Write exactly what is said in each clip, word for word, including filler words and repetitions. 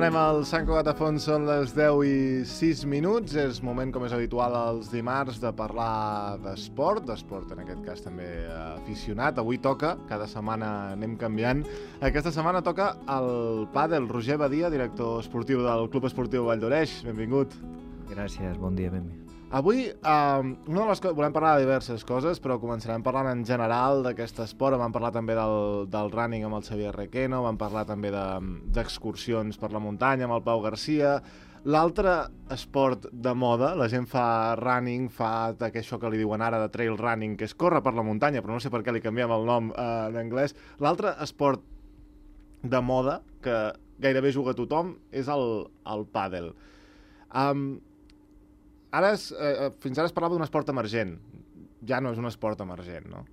Tornem al Sant Cugat a Fons, són les deu i sis minuts. És moment, com és habitual els dimarts, de parlar d'esport, d'esport en aquest cas també aficionat. Avui toca, cada setmana anem canviant. Aquesta setmana toca el pàdel. Roger Badia, director esportiu del Club Esportiu Vall d'Oreix. Benvingut. Gràcies, bon dia, benvingut. Avui, eh, una de les coses, volem parlar de diverses coses, però començarem parlant en general d'aquest esport. Vam parlar també del, del running amb el Xavier Requeno, vam parlar també d'excursions de, per la muntanya amb el Pau Garcia. L'altre esport de moda, la gent fa running, fa això que li diuen ara de trail running, que és córrer per la muntanya, però no sé per què li canviem el nom eh, en anglès. L'altre esport de moda, que gairebé juga tothom, és el, el pàdel. Um, Ara és, eh, fins ara es parlava d'un esport emergent. Ja no és un esport emergent, no?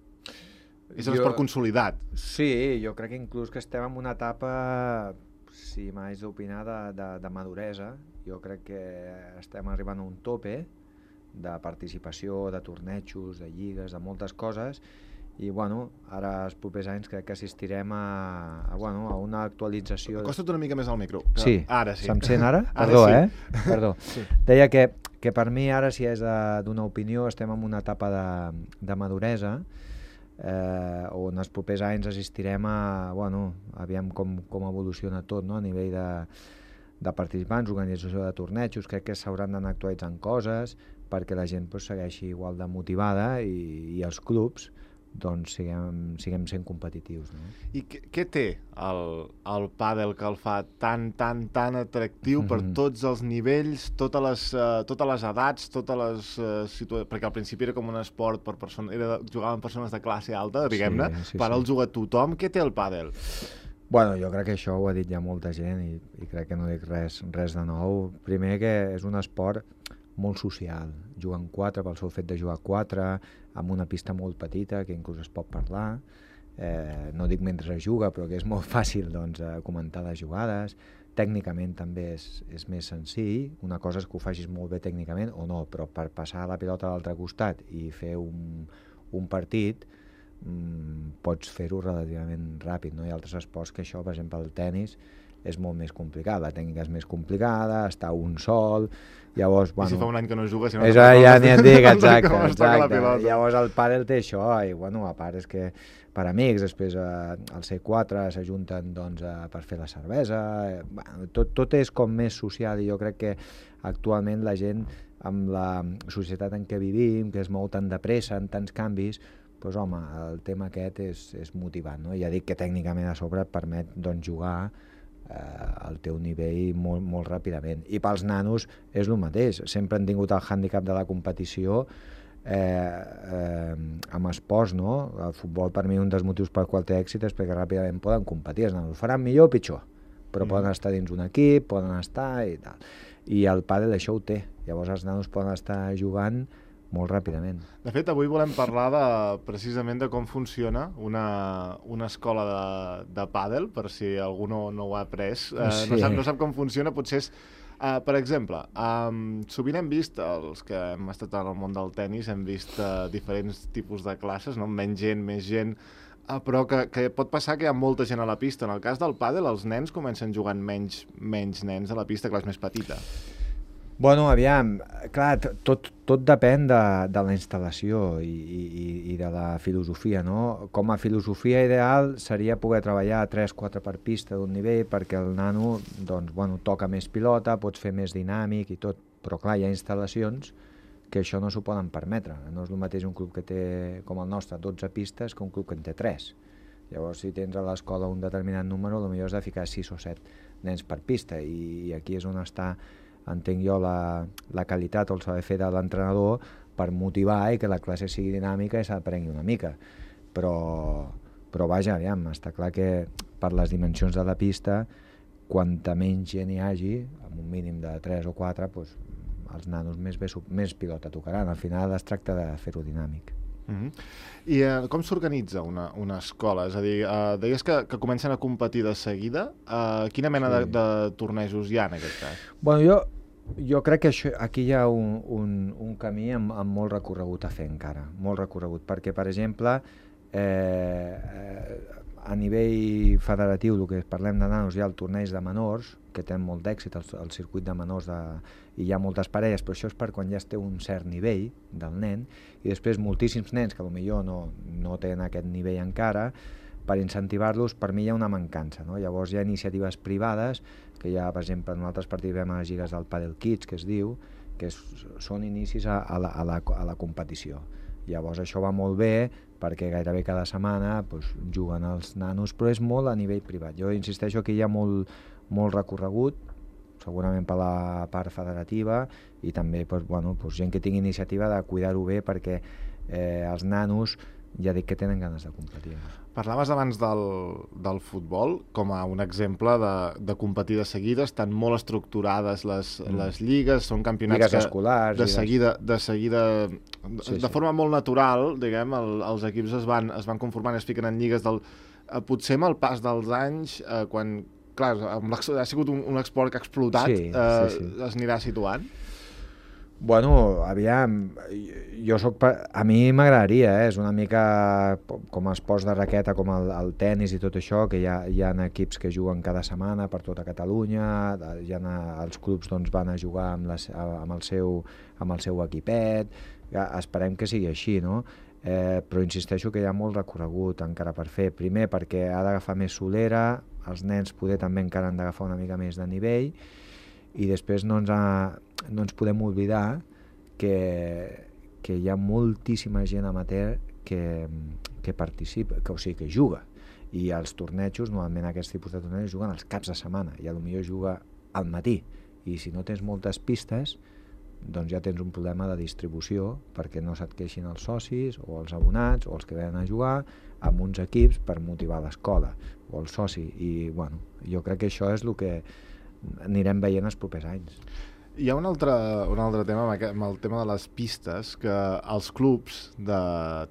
És un jo... esport consolidat. Sí, jo crec que inclús que estem en una etapa, si m'haig d'opinar, de, de, de maduresa. Jo crec que estem arribant a un tope de participació, de tornejos, de lligues, de moltes coses, i bueno, ara els propers anys crec que assistirem a, a, bueno, a una actualització... Acosta't una mica més al micro. Que... Sí, ara sí. Se'm sent ara? Ara Perdó, sí. eh? Perdó. Sí. Deia que, que per mi ara, si és d'una opinió, estem en una etapa de, de maduresa, eh, on els propers anys assistirem a, bueno, aviam com, com evoluciona tot, no? A nivell de, de participants, organització de tornejos, crec que s'hauran d'anar actualitzant coses perquè la gent pues, segueixi igual de motivada i, i els clubs doncs siguem, siguem sent competitius. No? I què, què té el, el pàdel que el fa tan, tan, tan atractiu per mm-hmm. tots els nivells, totes les, uh, totes les edats, totes les uh, situacions... Perquè al principi era com un esport per persona... Era, jugaven persones de classe alta, diguem-ne, sí, sí, per sí. El juga tothom. Què té el pàdel? Bueno, jo crec que això ho ha dit ja molta gent i, i crec que no dic res, res de nou. Primer que és un esport molt social, juguen quatre pel seu fet de jugar quatre, amb una pista molt petita que inclús es pot parlar, eh, no dic mentre es juga, però que és molt fàcil doncs, comentar les jugades. Tècnicament també és, és més senzill, una cosa és que ho facis molt bé tècnicament o no, però per passar la pilota a l'altre costat i fer un, un partit mmm, pots fer-ho relativament ràpid, no? Hi ha altres esports que això, per exemple el tennis, és molt més complicat, la tècnica és més complicada, està un sol, llavors... Bueno, I si fa un any que no juga, si no... Això ja n'hi et dic, exacte, exacte. Llavors el pàdel té això, i bueno, a part és que per amics, després eh, el C quatre s'ajunten doncs, eh, per fer la cervesa, eh, bueno, tot, tot és com més social i jo crec que actualment la gent, amb la societat en què vivim, que es mou tan de pressa, en tants canvis, doncs home, el tema aquest és, és motivant, no? Ja dic que tècnicament a sobre et permet doncs, jugar al teu nivell molt, molt ràpidament. I pels nanos és el mateix. Sempre han tingut el hàndicap de la competició eh, eh, amb esports, no? El futbol per mi un dels motius pel qual té èxit és perquè ràpidament poden competir. Els nanos faran millor o pitjor, però mm. poden estar dins un equip, poden estar i tal. I el pàdel això ho té. Llavors els nanos poden estar jugant molt ràpidament. De fet, avui volem parlar de, precisament de com funciona una, una escola de, de pàdel, per si algú no, no ho ha après. Uh, sí. no, sap, no sap com funciona, potser és... Uh, per exemple, um, sovint hem vist, els que hem estat al món del tennis, hem vist uh, diferents tipus de classes, no? Menys gent, més gent, uh, però que, que pot passar que hi ha molta gent a la pista. En el cas del pàdel, els nens comencen jugant menys, menys nens a la pista, que és més petita. Bueno, aviam, clar, tot, tot depèn de, de la instal·lació i, i, i de la filosofia, no? Com a filosofia ideal seria poder treballar tres quatre per pista d'un nivell perquè el nano doncs, bueno, toca més pilota, pots fer més dinàmic i tot, però clar, hi ha instal·lacions que això no s'ho poden permetre. No és el mateix un club que té, com el nostre, dotze pistes que un club que en té tres. Llavors, si tens a l'escola un determinat número, potser has de ficar sis o set nens per pista i, i aquí és on està, entenc jo, la, la qualitat o el saber fer de l'entrenador per motivar i que la classe sigui dinàmica i s'aprengui una mica. Però, però vaja, aviam, està clar que per les dimensions de la pista, quanta menys gent hi hagi, amb un mínim de tres o quatre, doncs, els nanos més, bé, més pilota tocaran. Al final es tracta de fer-ho dinàmic. Mm-hmm. I eh, com s'organitza una, una escola? És a dir, eh, deies que, que comencen a competir de seguida. Eh, quina mena sí. de, de tornejos hi ha en aquest cas? Bueno, jo, jo crec que això, aquí hi ha un, un, un camí amb, amb molt recorregut a fer encara, molt recorregut, perquè, per exemple, eh, eh, a nivell federatiu, el que parlem de nanos, hi ha el torneig de menors, que tenen molt d'èxit, el, el circuit de menors, de, i hi ha moltes parelles, però això és per quan ja es té un cert nivell del nen, i després moltíssims nens que potser no, no tenen aquest nivell encara, per incentivar-los, per mi hi ha una mancança, no? Llavors hi ha iniciatives privades, que hi ha, per exemple, nosaltres participem a les lligues del Padel Kids, que es diu, que és, són inicis a, a, la, a, la, a la competició. Llavors això va molt bé, perquè gairebé cada setmana doncs, juguen els nanos, però és molt a nivell privat. Jo insisteixo que hi ha molt, molt recorregut, segurament per la part federativa, i també doncs, bueno, doncs, gent que tingui iniciativa de cuidar-ho bé, perquè eh, els nanos ja dic que tenen ganes de competir. Parlaves abans del, del futbol com a un exemple de, de competir de seguida, estan molt estructurades les, mm. les lligues, són campionats lligues escolars, de seguida, de, seguida sí, de sí. forma molt natural, diguem, el, els equips es van, es van conformant, es fiquen en lligues del, eh, potser amb el pas dels anys, eh, quan, clar, ha sigut un, un esport que ha explotat, sí, eh, sí, sí. es anirà situant? Bueno, aviam, jo soc... A mi m'agradaria, eh? És una mica com esports de raqueta, com el, el tennis i tot això, que hi ha, hi ha equips que juguen cada setmana per tota Catalunya, hi ha, els clubs doncs, van a jugar amb, les, amb, el seu, amb el seu equipet, ja, esperem que sigui així, no? Eh, però insisteixo que hi ha molt recorregut encara per fer. Primer perquè ha d'agafar més solera, els nens poder també encara han d'agafar una mica més de nivell, i després no ens, ha, no ens podem oblidar que, que hi ha moltíssima gent amateur que, que participa, que, o sigui, que juga, i els tornejos, normalment aquests tipus de tornejos juguen els caps de setmana, i potser juga al matí, i si no tens moltes pistes doncs ja tens un problema de distribució, perquè no se't queixin els socis o els abonats o els que venen a jugar amb uns equips per motivar l'escola o el soci, i bueno, jo crec que això és el que anirem veient els propers anys. Hi ha un altre, un altre tema amb, aquest, amb el tema de les pistes, que els clubs de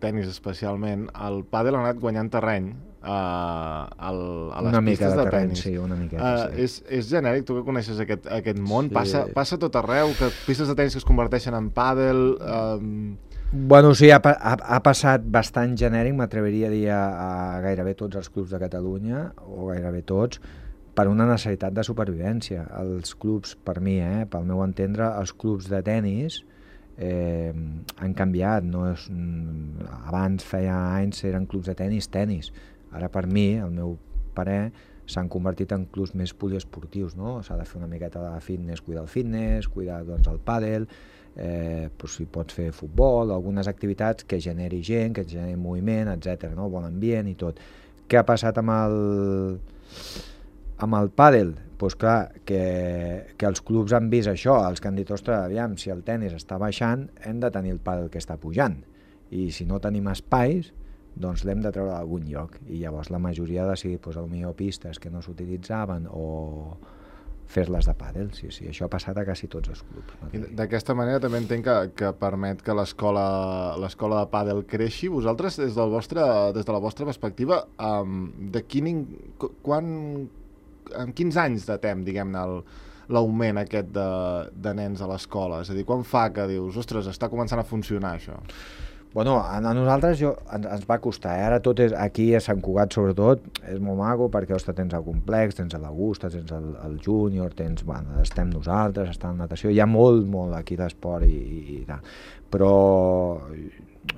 tennis especialment, el pàdel ha anat guanyant terreny uh, al, a les una pistes de, de terreny, tennis. Sí, una miqueta, uh, sí. És, és genèric, tu que coneixes aquest, aquest món, sí. passa, passa tot arreu, que pistes de tennis que es converteixen en pàdel... Um... Bueno, sí, ha, ha, ha passat bastant genèric, m'atreviria a dir a, a gairebé tots els clubs de Catalunya, o gairebé tots, per una necessitat de supervivència. Els clubs, per mi, eh, pel meu entendre, els clubs de tennis eh, han canviat. No és, abans, feia anys, eren clubs de tennis, tennis. Ara, per mi, el meu parer, s'han convertit en clubs més poliesportius, no? S'ha de fer una miqueta de fitness, cuidar el fitness, cuidar doncs, el pàdel, eh, doncs, si pots fer futbol, algunes activitats que generi gent, que generi moviment, etcètera, no? Bon ambient i tot. Què ha passat amb el... Amb el pàdel, doncs clar, que, que els clubs han vist això, els que han dit, ostres, aviam, si el tennis està baixant, hem de tenir el pàdel que està pujant. I si no tenim espais, doncs l'hem de treure d'algun lloc. I llavors la majoria ha decidit, doncs, potser pistes que no s'utilitzaven o fer-les de pàdel. Sí, sí, això ha passat a quasi tots els clubs. D'aquesta manera també entenc que, que permet que l'escola l'escola de pàdel creixi. Vosaltres, des, del vostre, des de la vostra perspectiva, um, de quin, quan... en quins anys datem, diguem-ne, l'augment aquest de, de nens a l'escola? És a dir, quan fa que dius, ostres, està començant a funcionar això? Bueno, a, a nosaltres jo, ens, ens va costar, eh? Ara tot és, aquí a Sant Cugat sobretot, és molt maco perquè ostres, tens el complex, tens l'Augusta, tens el, el júnior, tens, bueno, estem nosaltres, està en natació, hi ha molt, molt aquí d'esport i, i, i tal. Però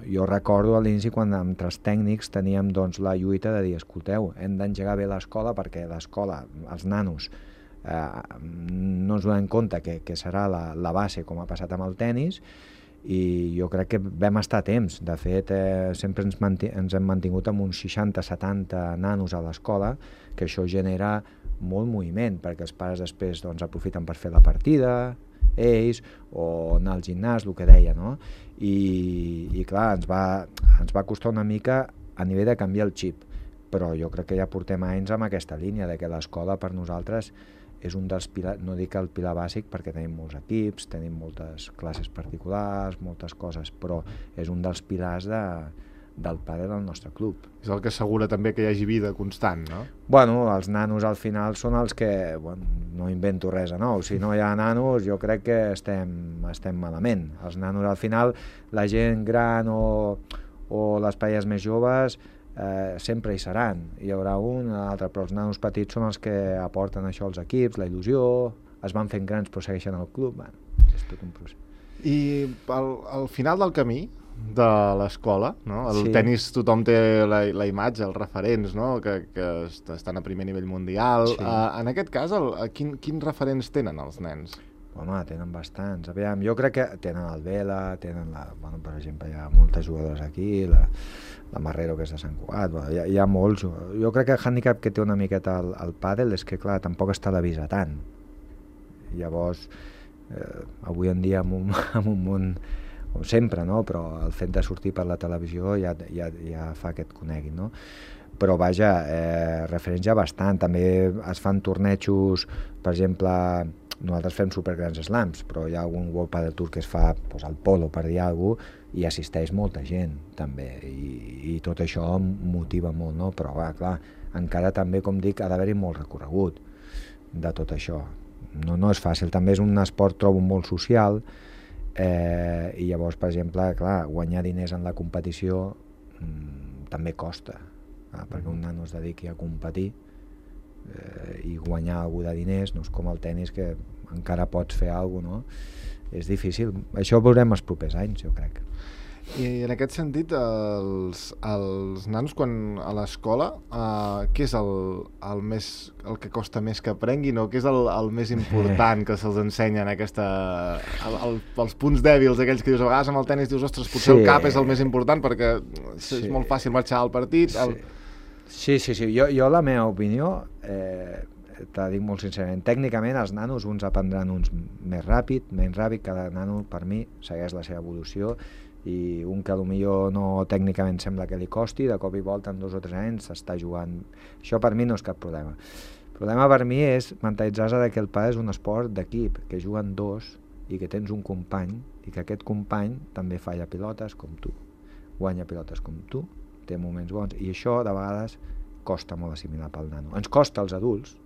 jo recordo a l'inici quan entre els tècnics teníem doncs, la lluita de dir, escolteu, hem d'engegar bé l'escola perquè l'escola, els nanos, eh, no ens donem compte que, que serà la, la base com ha passat amb el tennis, i jo crec que vam estar a temps. De fet, eh, sempre ens, ens hem mantingut amb uns seixanta setanta nanos a l'escola, que això genera molt moviment, perquè els pares després doncs, aprofiten per fer la partida, ells, o anar al gimnàs, el que deia, no? I, i clar, ens va, ens va costar una mica a nivell de canviar el xip, però jo crec que ja portem anys amb aquesta línia de que l'escola per nosaltres és un dels pilars, no dic el pilar bàsic perquè tenim molts equips, tenim moltes classes particulars, moltes coses, però és un dels pilars de, del pàdel al nostre club. És el que assegura també que hi hagi vida constant, no? Bueno, els nanos al final són els que, bueno, no invento res de nou, si no hi ha nanos jo crec que estem, estem malament. Els nanos al final, la gent gran o, o les parelles més joves eh, sempre hi seran. Hi haurà un, l'altre, però els nanos petits són els que aporten això als equips, la il·lusió, es van fent grans però segueixen al club, bueno, és tot un procés. I al, al final del camí de l'escola, no? El Sí. tenis tothom té la, la imatge, els referents, no? que, que est- estan a primer nivell mundial. Sí. Uh, en aquest cas, el, a quin, quins referents tenen els nens? Home, tenen bastants. Aviam, jo crec que tenen el Vela, tenen la... Bueno, per exemple, hi ha moltes jugadores aquí, la, la Marrero, que és de Sant Cugat, bueno, hi, ha, hi ha molts. Jo crec que el hàndicap que té una miqueta el, el pàdel és que, clar, tampoc es televisa tant. Llavors, eh, avui en dia, amb un, amb un món, com sempre, no? Però el fet de sortir per la televisió ja, ja, ja fa que et coneguin, no? Però vaja, eh, referents ja bastant. També es fan tornejos, per exemple, nosaltres fem supergrans slams, però hi ha algun World Padel Tour que es fa doncs, al polo, per dir alguna cosa, i assisteix molta gent, també, i, i tot això motiva molt, no? Però, va, clar, encara també, com dic, ha d'haver-hi molt recorregut de tot això. No, no és fàcil, també és un esport, trobo, molt social, eh, i llavors, per exemple, clar, guanyar diners en la competició mmm, també costa, eh, perquè un nano es dediqui a competir, eh, i guanyar algú de diners no és com el tennis, que encara pots fer alguna cosa, no? És difícil. Això ho veurem els propers anys, jo crec. I en aquest sentit, els, els nanos, quan a l'escola, uh, què és el, el, més, el que costa més que aprenguin, o què és el, el més important que se'ls ensenya en aquesta... El, el, els punts dèbils, aquells que dius, a vegades amb el tenis dius, ostres, potser Sí. el cap és el més important, perquè Sí. és molt fàcil marxar al partit. El... Sí, sí, sí. Jo, jo la meva opinió, eh, te dic molt sincerament, tècnicament els nanos uns aprendran uns més ràpid, menys ràpid, cada nano per mi segueix la seva evolució, i un que potser no tècnicament sembla que li costi, de cop i volta en dos o tres anys s'està jugant. Això per mi no és cap problema. El problema per mi és mentalitzar-se que el pàdel és un esport d'equip, que juguen dos i que tens un company i que aquest company també falla pilotes com tu, guanya pilotes com tu, té moments bons, i això de vegades costa molt assimilar pel nano. Ens costa als adults,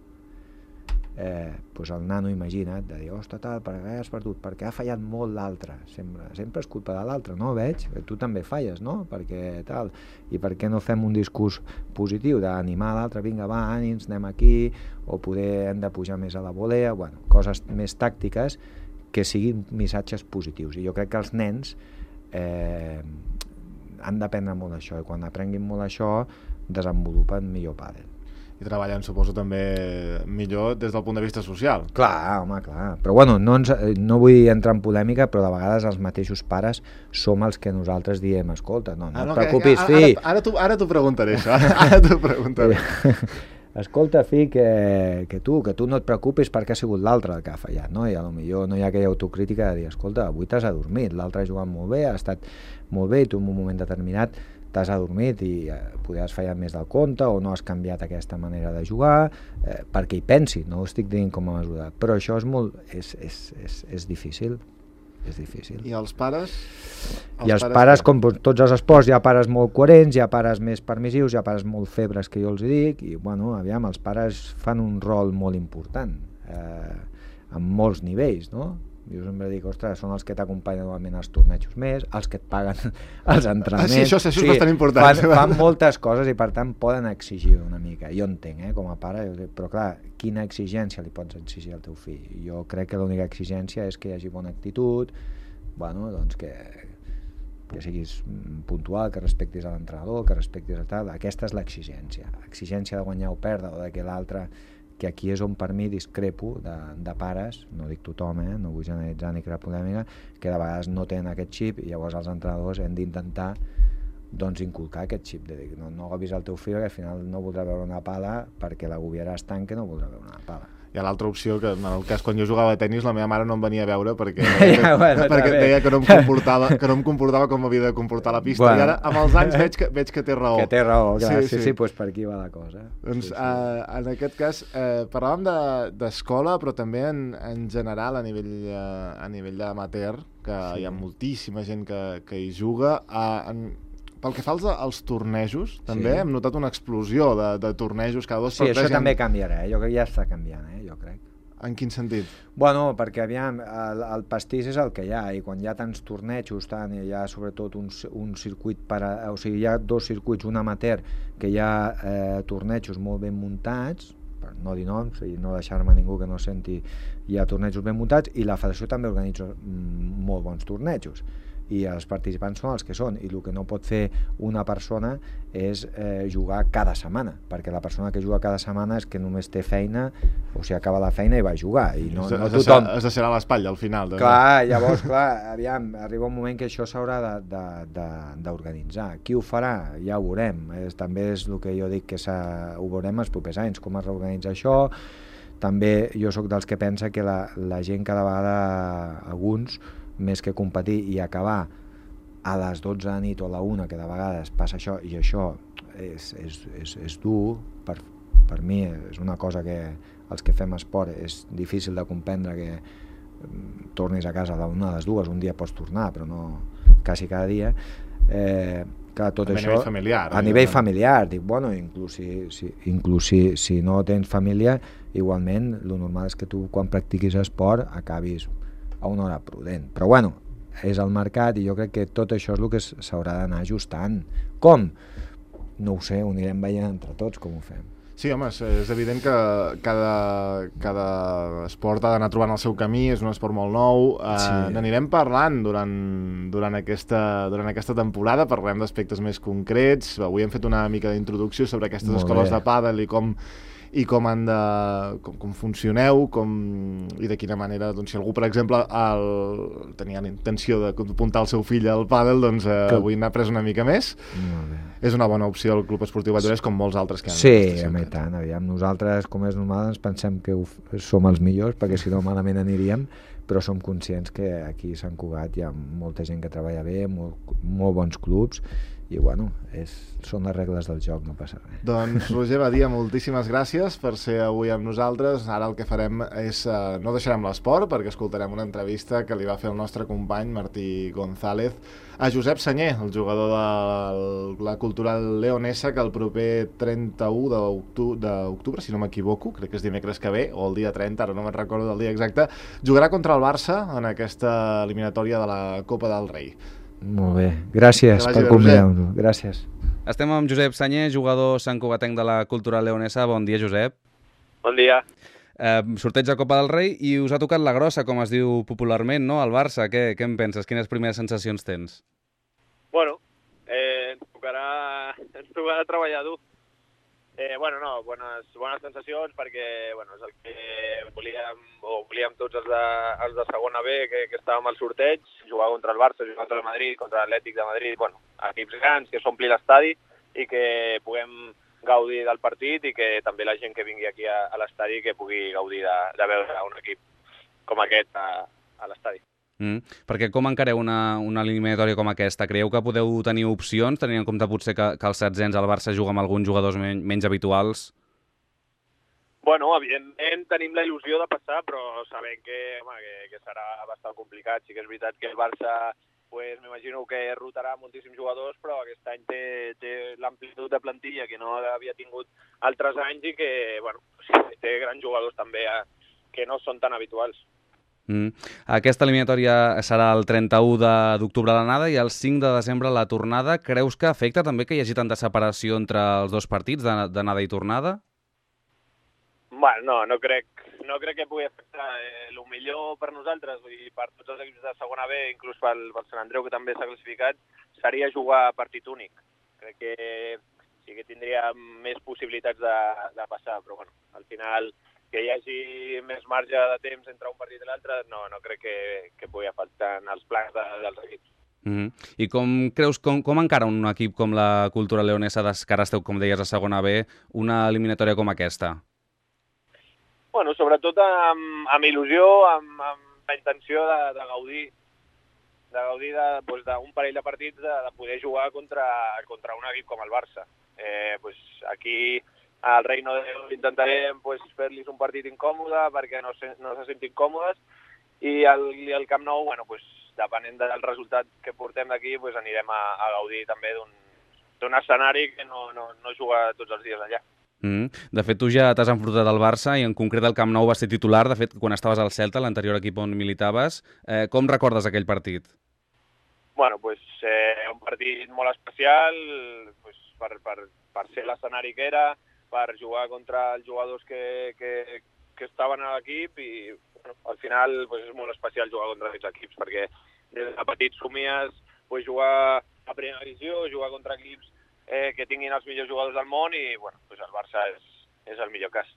eh, doncs el nano, imagina't, de dir, ostres, tal, per què has perdut? Perquè ha fallat molt l'altre. Sempre, sempre és culpa de l'altre, no? Veig, tu també falles, no? Perquè tal, i per què no fem un discurs positiu d'animar l'altre, vinga, va, ànims, anem aquí, o poder hem de pujar més a la volea, bueno, coses més tàctiques que siguin missatges positius. I jo crec que els nens eh, han d'aprendre molt això, i quan aprenguin molt això desenvolupen millor pàdel. I treballen, suposo, també millor des del punt de vista social. Clar, home, clar. Però bueno, no, ens, no vull entrar en polèmica, però de vegades els mateixos pares som els que nosaltres diem, escolta, no, no Ah, no, et preocupis, que, fill. Ara, ara, ara t'ho preguntaré, això. Ara t'ho preguntaré. Escolta, fill, que, que tu que tu no et preocupis perquè ha sigut l'altre el que ha fallat, no? I a lo millor no hi ha aquella autocrítica de dir, escolta, avui t'has adormit, l'altre ha jugat molt bé, ha estat molt bé, i tu en un moment determinat t'has adormit i eh, poder has fallat més del compte o no has canviat aquesta manera de jugar, eh, perquè hi pensi, no ho estic dient com a mesura, però això és molt, és, és, és, és difícil, és difícil. I els pares? Els I els pares, pares com tots els esports, hi ha pares molt coherents, hi ha pares més permissius, hi ha pares molt febres, que jo els dic, i bueno, aviam, els pares fan un rol molt important, eh, en molts nivells, no? Jo sempre dic, ostres, són els que t'acompanyen normalment als tornejos més, els que et paguen els entrenaments. Ah, sí, això, això és sí, bastant important. Fan, fan moltes coses i per tant poden exigir una mica. Jo entenc, eh, com a pare, però clar, quina exigència li pots exigir al teu fill? Jo crec que l'única exigència és que hi hagi bona actitud, bueno, doncs que, que siguis puntual, que respectis a l'entrenador, que respectis a tal. Aquesta és l'exigència. Exigència de guanyar o perdre, o de que l'altre... que aquí és on per mi discrepo de, de pares, no dic tothom, eh, no vull generalitzar ni crear polèmica, que de vegades no tenen aquest xip i llavors els entrenadors hem d'intentar doncs inculcar aquest xip de dir, no, no agobis el teu fill, que al final no voldrà veure una pala perquè l'agobiaràs tant que no voldrà veure una pala. Hi ha l'altra opció, que en el cas quan jo jugava a tenis la meva mare no em venia a veure perquè, ja, bueno, perquè deia que no, em comportava, que no em comportava com havia de comportar la pista, bueno. I ara amb els anys veig que, veig que té raó. Que té raó, clar, sí, sí, sí, sí, pues per aquí va la cosa. Doncs sí, sí. Eh, en aquest cas eh, parlàvem d'escola, de, però també en, en general a nivell, eh, a nivell d'amateur, que sí. Hi ha moltíssima gent que, que hi juga. Eh, en, pel que fa als, als tornejos, també sí. Hem notat una explosió de, de tornejos cada dos sí, per tres. Sí, això també canviarà, eh? Jo crec que ja està canviant, eh? Jo crec. En quin sentit? Bueno, perquè aviam, el, el pastís és el que hi ha, i quan hi ha tants tornejos, tant, i hi ha sobretot un, un circuit per a, o sigui, hi ha dos circuits, un amateur, que hi ha eh, tornejos molt ben muntats, per no dir noms i no deixar-me ningú que no senti, hi ha tornejos ben muntats, i la federació també organitza mm, molt bons tornejos, i els participants són els que són, i el que no pot fer una persona és eh, jugar cada setmana, perquè la persona que juga cada setmana és que només té feina, o sigui, acaba la feina i va a jugar, i no, no tothom... Es deixarà l'espatlla al final. També. Clar, llavors, clar, aviam, arriba un moment que això s'haurà d'organitzar. Qui ho farà? Ja ho veurem. És, també és el que jo dic, que ho veurem els propers anys, com es reorganitza això. També jo sóc dels que pensa que la, la gent cada vegada, alguns, més que competir i acabar a les dotze de la nit o a la una, que de vegades passa això, i això és, és, és, és dur, per, per mi és una cosa que els que fem esport és difícil de comprendre, que tornis a casa a la una, a les dues, un dia pots tornar, però no quasi cada dia. Eh, clar, tot a això, nivell familiar. A nivell familiar, dic, bueno, inclús, si, si, inclús si, si no tens família, igualment, el normal és que tu, quan practiquis esport, acabis a una hora prudent. Però bueno, és el mercat, i jo crec que tot això és el que s'haurà d'anar ajustant. Com? No ho sé, ho anirem veient entre tots com ho fem. Sí, home, és, és evident que cada, cada esport ha d'anar trobant el seu camí, és un esport molt nou, eh, sí. N'anirem parlant durant, durant, aquesta, durant aquesta temporada, parlem d'aspectes més concrets, avui hem fet una mica d'introducció sobre aquestes molt escoles bé. De pàdel i com i com han de com, com funcioneu, com, i de quina manera, doncs, si algú, per exemple, el, tenia la intenció d'apuntar el seu fill al pàdel, doncs eh, que... avui n'ha pres una mica més. És una bona opció el Club Esportiu Vallès, com molts altres que han. Sí, a tant, aviam, nosaltres, com és normal, ens pensem que ho, som els millors, perquè si no malament aniríem, però som conscients que aquí a Sant Cugat hi ha molta gent que treballa bé, molt, molt bons clubs, i bueno, és, són les regles del joc, no passa res. Doncs Roger Badia, moltíssimes gràcies per ser avui amb nosaltres. Ara el que farem és, eh, no deixarem l'esport, perquè escoltarem una entrevista que li va fer el nostre company Martí González a Josep Sanyer, el jugador de la Cultural Leonesa, que el proper trenta-u d'octubre, si no m'equivoco, crec que és dimecres que ve, o el dia trenta, ara no me'n recordo del dia exacte, jugarà contra el Barça en aquesta eliminatòria de la Copa del Rei. Molt bé, gràcies per convidar-nos. Gràcies. Estem amb Josep Sanyer, jugador santcugatenc de la Cultural Leonesa. Bon dia, Josep. Bon dia. Eh, sorteig de Copa del Rei i us ha tocat la grossa, com es diu popularment, no? El Barça. Què, què en penses? Quines primeres sensacions tens? Bueno, eh, ens tocarà, ens tocarà treballar dur. Eh, bueno, no, bones, bones sensacions, perquè bueno, és el que volíem, o volíem tots els de, els de segona B, que, que estàvem al sorteig, jugar contra el Barça, jugar contra el Madrid, contra l'Atlètic de Madrid, bueno, equips grans, que s'ompli l'estadi i que puguem gaudir del partit, i que també la gent que vingui aquí a, a l'estadi que pugui gaudir de, de veure un equip com aquest a, a l'estadi. Mm. Perquè com encareu una, una eliminatòria com aquesta? Creieu que podeu tenir opcions, tenint en compte potser que, que els setzents al Barça juga amb alguns jugadors men menys habituals? Bueno, evidentment tenim la il·lusió de passar, però sabem que, home, que, que serà bastant complicat. Sí que és veritat que el Barça, pues, m'imagino que rotarà moltíssims jugadors, però aquest any té, té l'amplitud de plantilla que no havia tingut altres anys, i que, bueno, sí, té grans jugadors també eh, que no són tan habituals. Mm. Aquesta eliminatòria serà el trenta-u d'octubre l'anada i el cinc de desembre la tornada. Creus que afecta també que hi hagi tanta separació entre els dos partits d'anada i tornada? Bueno, no, no crec, no crec que pugui afectar. Eh, el millor per nosaltres i per tots els equips de segona B, inclús pel, pel Sant Andreu, que també s'ha classificat, seria jugar partit únic. Crec que sí que tindria més possibilitats de, de passar, però bueno, al final que hi hagi més marge de temps entre un partit i l'altre, no, no crec que, que pugui afectar en els plans de, dels equips. Mm-hmm. I com creus, com, com encara un equip com la Cultural Leonesa, que ara esteu, com deies, a segona B, una eliminatòria com aquesta? Bueno, sobretot amb, amb il·lusió, amb, amb la intenció de, de gaudir de gaudir d'un doncs, parell de partits, de, de poder jugar contra, contra un equip com el Barça. Eh, doncs, aquí al Reino de Déu intentarem pues, fer-los un partit incòmode perquè no se, no se sentin còmodes, i al, i al Camp Nou, bueno, pues, depenent del resultat que portem d'aquí, pues, anirem a, a gaudir també d'un escenari que no, no, no juga tots els dies allà. Mm. De fet, tu ja t'has enfrontat al Barça i en concret el Camp Nou va ser titular. De fet, quan estaves al Celta, l'anterior equip on militaves, eh, com recordes aquell partit? Bueno, pues, eh, un partit molt especial pues, per, per, per ser l'escenari que era, per jugar contra els jugadors que, que, que estaven a l'equip i bueno, al final pues, és molt especial jugar contra aquests equips perquè des de petit somies pues, jugar a primera divisió, jugar contra equips eh, que tinguin els millors jugadors del món i bueno, pues, el Barça és, és el millor cas.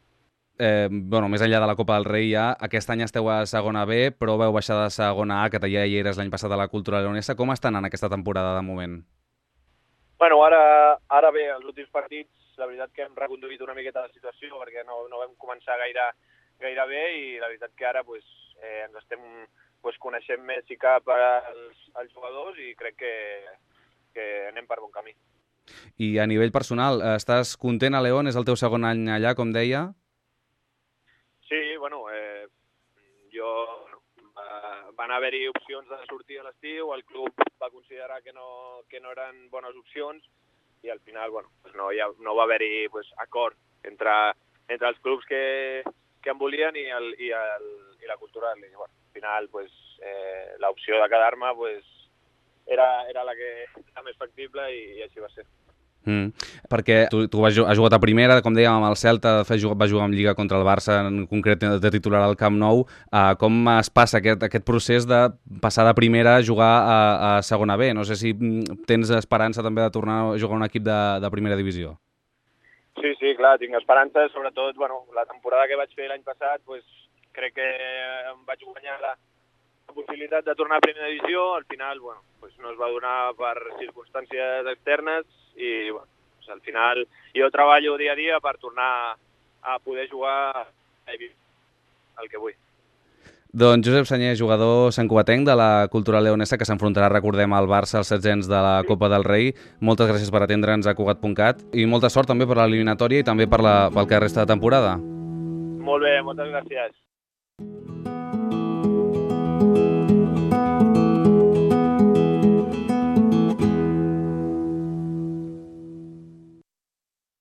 Eh, bueno, més enllà de la Copa del Rei ja, aquest any esteu a segona B, però veu baixar de segona A, que ja hi eres l'any passat a la Cultura Leonesa. Com estan en aquesta temporada de moment? Bueno, ara, ara bé, els últims partits, la veritat que hem reconduït una miqueta la situació perquè no, no vam començar gaire, gaire bé i la veritat que ara pues, eh, ens estem pues, coneixent més i cap als, als jugadors i crec que, que anem per bon camí. I a nivell personal, estàs content a León? És el teu segon any allà, com deia? Sí, bueno, eh, jo bueno, va, van haver-hi opcions de sortir a l'estiu, el club va considerar que no, que no eren bones opcions i al final bueno, pues no, ja, no va haver-hi pues, acord entre, entre els clubs que, que en volien i, el, i, el, i la cultural. I, bueno, al final pues, eh, l'opció de quedar-me pues, era, era la que era més factible i, i així va ser. Mm. Perquè tu, tu has jugat a primera, com dèiem, amb el Celta, de fet va jugar en Lliga contra el Barça, en concret de titular al Camp Nou. Uh, com es passa aquest, aquest procés de passar de primera a jugar a, a segona B? No sé si tens esperança també de tornar a jugar a un equip de, de primera divisió. Sí, sí, clar, tinc esperança, sobretot bueno, la temporada que vaig fer l'any passat, pues, crec que em vaig guanyar la, la possibilitat de tornar a primera divisió, al final bueno, pues, no es va donar per circumstàncies externes i bueno, pues, al final jo treballo dia a dia per tornar a poder jugar el que vull. Doncs Josep Sanyer, jugador santcugatenc de la Cultural Leonesa, que s'enfrontarà, recordem, al Barça als setzents de la Copa del Rei. Moltes gràcies per atendre'ns a Cugat punt cat i molta sort també per l'eliminatòria i també per la, pel que resta de temporada. Molt bé, moltes gràcies.